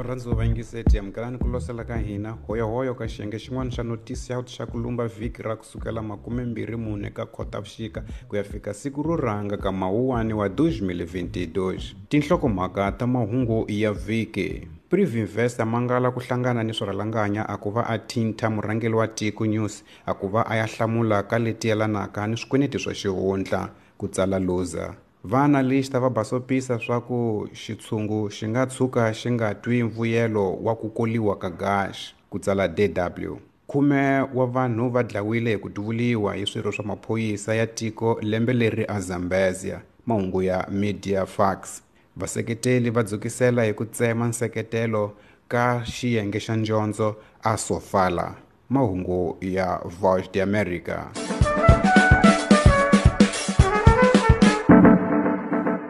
Varhandzi va vayingiseti, amukelani ku losela ka hina hoyohoyo ka xiyenge xin'wana xa notisi ya xa ku lumba vhiki ra kusukela 24 ka Khotavuxika ku ya fika siku ro rhanga ka Mawuwani wa 2022. Tinhlokomhaka ta mahungu ya vhiki. Privinvest a mangala ku hlangana ni swirhalanganya a ku va a thintha murhangeri wa tiko News a ku va a ya hlamula ka leti yelanaka ni swikweleti swa xihundla, ku tsala Luza. Vaanalista va basopisa swa ku xitshungu xi nga tshuka xi nga twi mvuyelo wa ku koliwa ka gaxi, ku tsala DW. Khume wa vanhu va dlawile hi ku duvuliwa hi swirho swa maphorisa ya tiko lembe leri a Zambezia. Mahungu ya Media Fax. Vaseketeli va dzukisela hi ku tsema nseketelo ka xiyenge xa ndyondzo a Sofala. Mahungu ya Voice de America.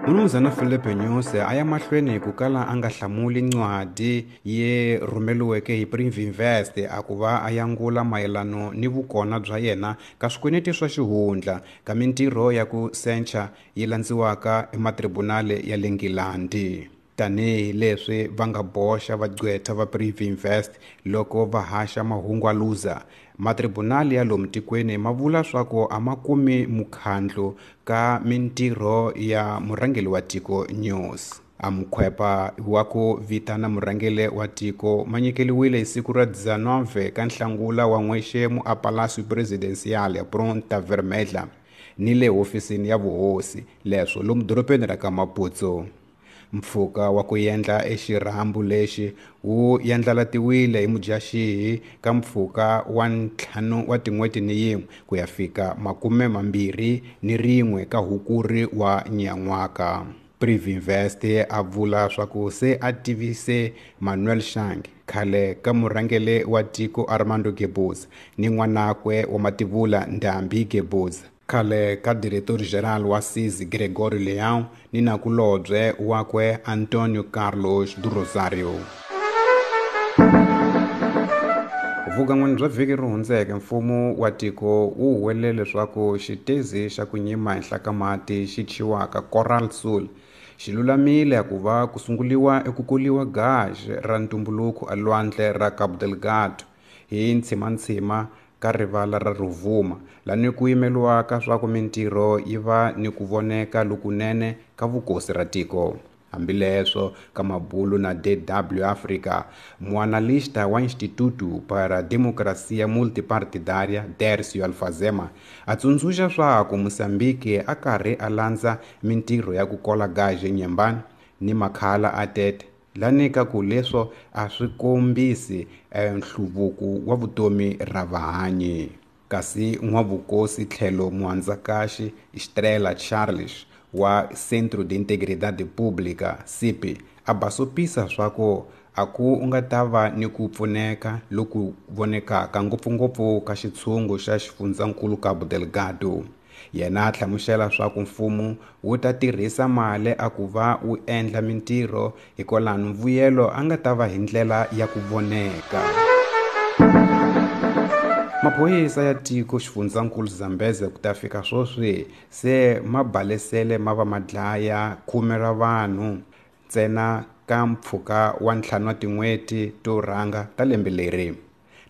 Mnumzana Filipe Nyusi a ya mahlweni ku kala a nga hlamuli ncwadi ye rhumeriweke hi Privinvest a ku va a yangula mayelano ni vukona bya yena ka swikweleti swa xihundla ka mintirho ya ku sencha yi landziwaka ematribunali ya le Nghilandhi. Tanihi leswi va nga boxa vagqwetha va Privinvest loko va haxa mahungu a Luza, matribunali ya lomu tikweni ma vula swa ku a ma kumi mukhandlu ka mintirho ya murhangeri wa tiko News. A mukhwepa wa ku vitana murhangeri wa tiko ma nyikeliwile hi siku ra 19 ka Nhlangula wa n'wexemu a Palacio Presidencial ya Ponta Vermelha ni le hofisini ya vuhosi leswo lomu dorobeni ra ka Maputo. Mpfhuka wa ku endla exirhambu lexi wu yandlalatiwile hi Mudyaxihi ka mpfhuka wa 5 wa tin'hweti ni yin'we ku ya fika 21 ka Hukuri wa nyan'waka. Privinvest a vula swa ku se a tivise Manuel Chang, khale ka murhangeri wa tiko Armando Guebuza ni n'wanakwe wa mativula Ndambi Guebuza, khale ka Diretor General wa CIS Gregorio Leão ni nakulobye wakwe Antonio Carlos do Rosario. Vukan'wini bya vhiki ri hundzeke, mfumo wa tiko wu huwelele leswaku xitezi xa ku nyima henhla ka mati xi thyiwaka Coral Sul xi lulamile ku va ku sunguriwa eku koliwa gaxi ra ntumbuluko elwandle ra Cabo Delgado hi ntshimantshima ka rivala ra Rovuma, lani ku yimeriwaka swa ku mintirho yi va ni ku voneka lokunene ka vukosi ra tiko. Hambileswo ka mabulu na DW Africa, muanalista wa Instituto para Democracia Multipartidária, Dércio Alfazema, a tsundzuxa swa ku Mozambique a karhi a landza mintirho ya ku kola gaxi eNyembani ni makhala a Tete, lani ka ku leswo a swi kombisi nhluvuko wa vutomi ra vahanyi. Kasi n'wavukosi tlhelo muhandzakaxi Estrela Charles wa Centro de Integridade Pública, CIP, a basopisa swa ku a ku nga ta va ni ku pfuneka loku vonekaka ngopfungopfu ka xitshungu xa xifundzankulu Cabo Delgado. Yena a hlamusela swa ku mfumo wu ta tirhisa mali a ku va wu endla mintirho hikwalano mvuyelo a nga ta va hi ndlela ya ku voneka. Maphorisa ya tiko xifundzankulu Zambezi ku ta fika sweswi se ma balesele ma va ma dlaya khume ra vanhu ntsena ka mpfhuka wa 5 wa tin'hweti to rhanga ta lembe leri.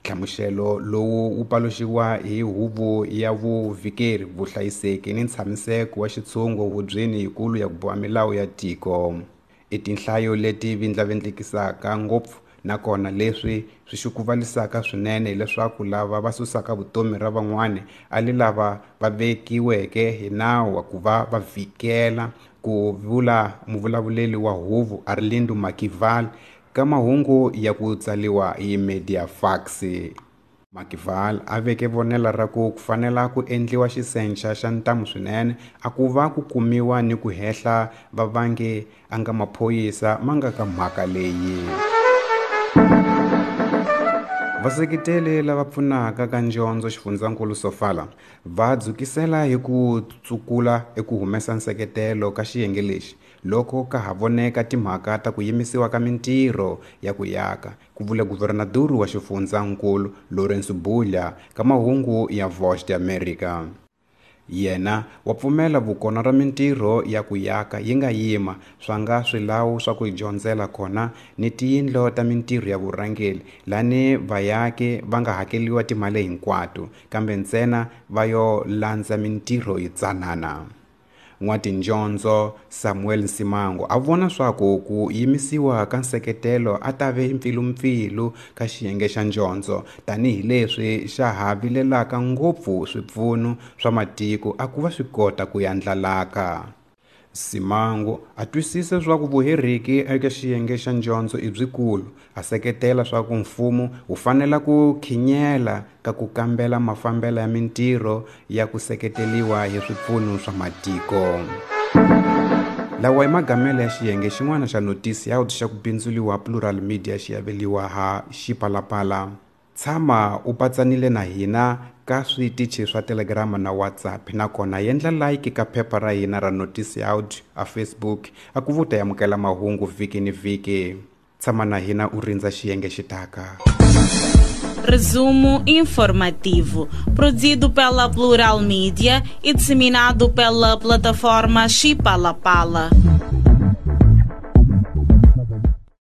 Nhlamuselo lowu wu paluxiwa hi huvo ya vuvikeri, vuhlayiseki ni ntshamiseko wa xitshungu hubyeni yikulu ya ku boha milawu ya tiko. I tinhlayo leti vindlavindlikisaka ngopfu nakona leswi swi xukuvalisaka swinene hileswaku lava va susaka vutomi ra van'wani a li lava va vekiweke hi nawu wa ku va va vhikela, ku vula muvulavuleri wa huvo Arlindo Makival ka mahungu ya ku tsaliwa hi Media Fax. Makival a veke vonela ra ku fanela ku endliwa xisenxa xa ntamu swinene a ku va ku kumiwa ni ku hehla vavangi a nga maphorisa ma nga ka mhaka leyi. Vaseketeli lava pfunaka ka ndyondzo xifundzankulu Sofala va dzukisela hi ku tsukula eku humesa nseketelo ka xiyenge lexi loko ka ha voneka timhaka ta ku yimisiwa ka mintirho ya ku yaka, ku vula guvernador wa xifundzankulu Lourenço Bulha ka mahungu ya Voice de America. Yena wa pfumela vukona ra mintirho ya ku yaka yi nga yima swa nga swilawu swa ku dyondzela kona ni tiyindlo ta mintirho ya vurhangeli lani vayaki va nga hakeliwa timali hinkwato kambe ntsena va yo landza mintirho yitsanana. N'watinjondzo Samuel Nsimango a vona swaku ku yimisiwa ka nseketelo a ta ve mpfilumpfilu ka xiyenge xa njondzo tanihileswi xa ha vilelaka ngopfu swipfuno swa matiko a ku va swi kota ku yandlalaka. Simango a twisisa swa ku vuheriki eka xiyenge xa njondzo i byikulu, a seketela swa ku mfumo wu fanela ku khinyela ka ku kambela mafambelo ya mintirho ya ku seketeliwa hi swipfuno swa matiko. Lawa i magamelo ya xiyenge xin'wana xa notisi ya xa ku bindzuliwa Plural Media xi aveliwa ha Xipalapala. Tshama u patsanile na hina ka switichi swa Telegram na WhatsApp nakona yendla like ka phepha ra hina ra Notice Out a Facebook a ku vuta amukela mahungu vhiki ni vhiki. Tshama na hina u rindza xiyenge xitaka. Resumo informativo, produzido pela Plural Mídia e disseminado pela plataforma Chipalapala.